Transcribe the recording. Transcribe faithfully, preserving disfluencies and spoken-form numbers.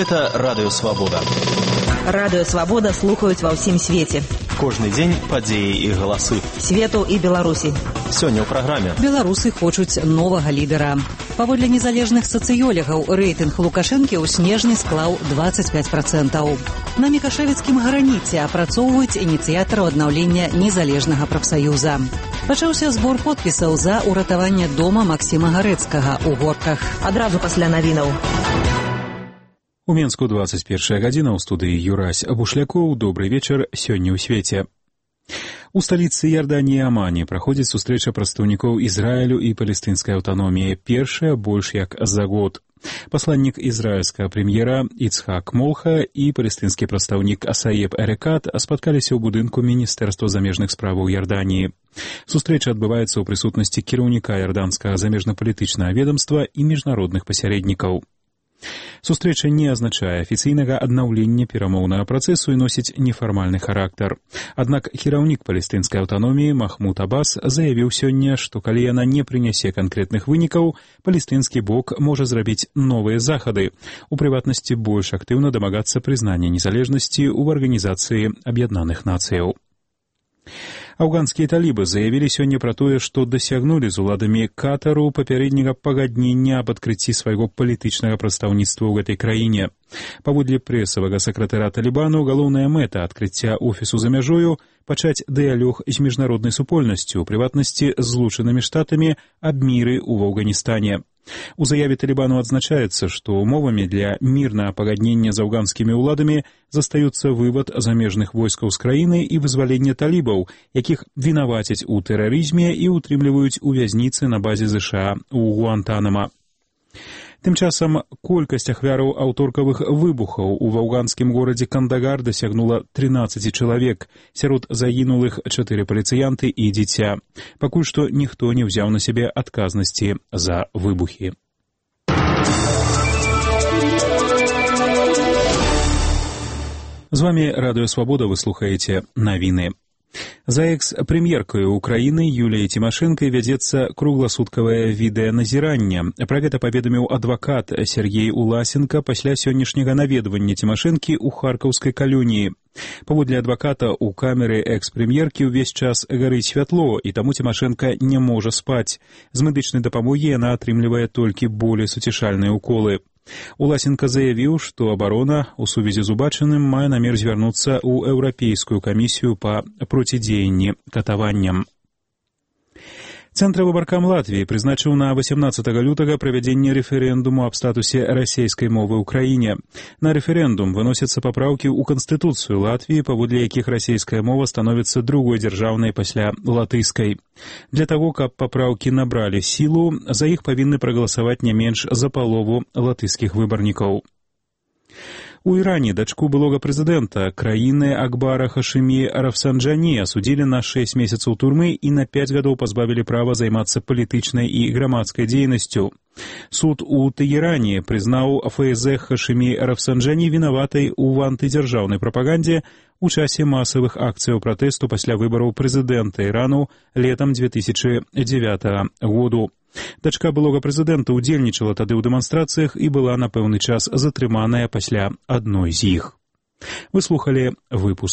Гэта Радыё Свабода. Радыё Свабода слухаюць ва ўсім свеце. Кожны дзень падзеі і галасы Свету і Беларусі. Сёння ў праграме. Беларусы хочуць новага лідара. Паводле незалежных сацыёлегаў, рэйтынг Лукашэнкі ў снежні склаў дваццаць пяць працэнтаў. На Мікашэвіцкім граніце апрацоўваюць ініцыятараў аднаўлення незалежнага прафсаюза. Пачаўся збор подпісаў за ўратаванне дома Максіма Гарэцкага ў Горках. Адразу пасля навінаў. У Менску двадцать первая гадзіна, ў студыі Юрась Бушлякоў. Добрый вечар, сёння ў свеце. У сталіцы Іорданіі Амане праходзіць сустрэча прадстаўнікоў Ізраілю і палестынскай аўтаноміі. Першая больш як за год. Пасланнік ізраільскага прэм'ера Іцхак Молха і палестынскі прадстаўнік Асаеб Эрекат спаткаліся ў будынку Міністэрства замежных справаў Іорданіі. Сустрэча адбываецца ў прысутнасці кіраўніка іорданскага замежна-палітычнага ведамства і міжнародных пасярэднікаў. Сустрэча не азначае афіцыйнага аднаўлення перамоўнага працэсу і носіць нефармальны характар. Аднак кіраўнік палестынскай аўтаноміі Махмуд Аббас заявіў сёння, што калі яна не прынясе канкрэтных вынікаў, палестынскі бок можа зрабіць новыя захады, у прыватнасці больш актыўна дамагацца прызнання незалежнасці ў Арганізацыі Аб'яднаных Нацыяў. Афганскія талібы заявілі сёння пра тое, што дасягнулі з уладамі Катару папярэдняга пагаднення аб адкрыцці свайго палітычнага прадстаўніцтва ў гэтай краіне. Паводле прэсавага сакратара Талібану, галоўная мэта адкрыцця офісу за мяжою – пачаць дыялог з міжнароднай супольнасцю, у прыватнасці з Злучанымі Штатамі аб міры ў Афганістане. У заяве Талібану адзначаецца, што умовамі для мірнага пагаднення з афганскімі ўладамі застаюцца вывад замежных войскаў з краіны і вызваленне талібаў, якіх вінавацяць у тэрарызме і ўтрымліваюць у вязніцы на базе ЗША ў Гуантанама. Тым часам колькасць ахвяраў аўторкавых выбухаў у афганскім горадзе Кандагар дасягнула трынаццаць чалавек, сярод загінулых чатыры паліцыянты і дзіця. Пакуль што ніхто не ўзяў на сябе адказнасці за выбухі. З вамі Радыё Свабода, вы слухаеце навіны. За экс-прэм'еркаю Украіны Юліяй Цімашэнкай вядзецца кругласуткавае відэаназіранне. Пра гэта паведаміў адвакат Сергей Уласенка пасля сённяшняга наведвання Цімашэнкі ў харкаўскай калоніі. Паводле адваката, у камеры экс-прэм'еркі ўвесь час гарыць святло, і таму Цімашэнка не можа спаць. З медычнай дапамогі яна атрымлівае толькі болей суцішальныя уколы. Уласенка заявіў, што абарона у сувязі з убачаным мае намер звярнуцца ў Еўрапейскую камісію па процідзеянні катаванням. Цэнтравы абкам Латвіі прызначыў на васямнаццатага лютага правядзенне рэферэндуму аб статусе расейскай мовы ў краіне. На рэферэндум выносяцца папраўкі ў Канстытуцыю Латвіі, паводле якіх расейская мова становіцца другой дзяржаўнай пасля латышскай. Для таго, каб папраўкі набралі сілу, за іх павінны прагаласаваць не менш за палову латышскіх выбарнікаў. У Іране дачку былога прэзідэнта краіны Акбара Хашымі Рафсанджані асудзілі на шэсць месяцаў турмы і на пяць гадоў пазбавілі права займацца палітычнай і грамадскай дзейнасцю. Суд у Тэгеране прызнаў ФС Хашымі Рафсанджані вінаватай у антыдзяржаўнай прапагандзе у часе масавых акцыяў пратэсту пасля выбараў прэзідэнта Ірану летам дзве тысячы дзевятага году. Дачка былога прэзідэнта ўдзельнічала тады ў дэманстрацыях і была на пэўны час затрыманая пасля адной з іх. Вы слухалі выпуск